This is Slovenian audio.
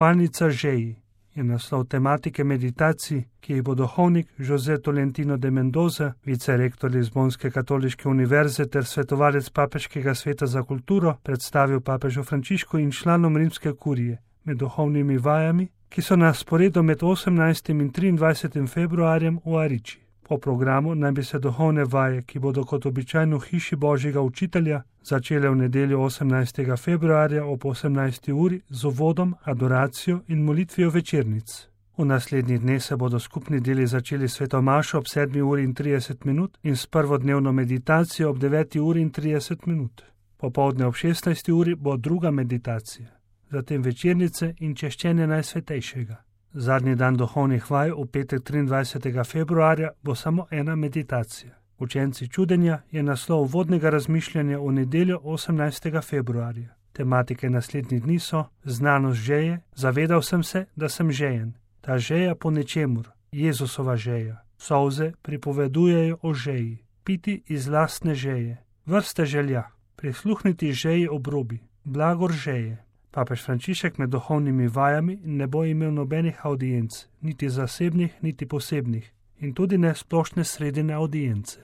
Spalnica žeji je naslov tematike meditacij, ki jih bo duhovnik José Tolentino de Mendoza, vicerektor Lizbonske katoliške univerze ter svetovalec Papeškega sveta za kulturo, predstavil papežu Frančišku in članom rimske kurije med duhovnimi vajami, ki so na sporedu med 18. in 23. februarjem v Ariči. Po programu naj bi se duhovne vaje, ki bodo kot običajno v hiši Božjega učitelja, začele v nedeljo 18. februarja ob 18. uri z uvodom, adoracijo in molitvijo večernic. V naslednjih dneh se bodo skupni deli začeli s sveto mašo ob 7. uri in 30 minut in s prvodnevno meditacijo ob 9. uri in 30 minut. Popoldne ob 16. uri bo druga meditacija, zatem večernice in češčenje Najsvetejšega. Zadnji dan duhovnih vaj v petek 23. februarja bo samo ena meditacija. Učenci čudenja je naslov uvodnega razmišljanja v nedeljo 18. februarja. Tematike naslednjih dni so znanost žeje, zavedal sem se, da sem žejen. Ta žeja po nečemur, Jezusova žeja. Solze pripovedujejo o žeji. Piti iz lastne žeje. Vrste želja. Prisluhniti žeji obrobi. Blagor žeje. Papež Frančišek med duhovnimi vajami ne bo imel nobenih audienc, niti zasebnih, niti posebnih, in tudi ne splošne sredine audience.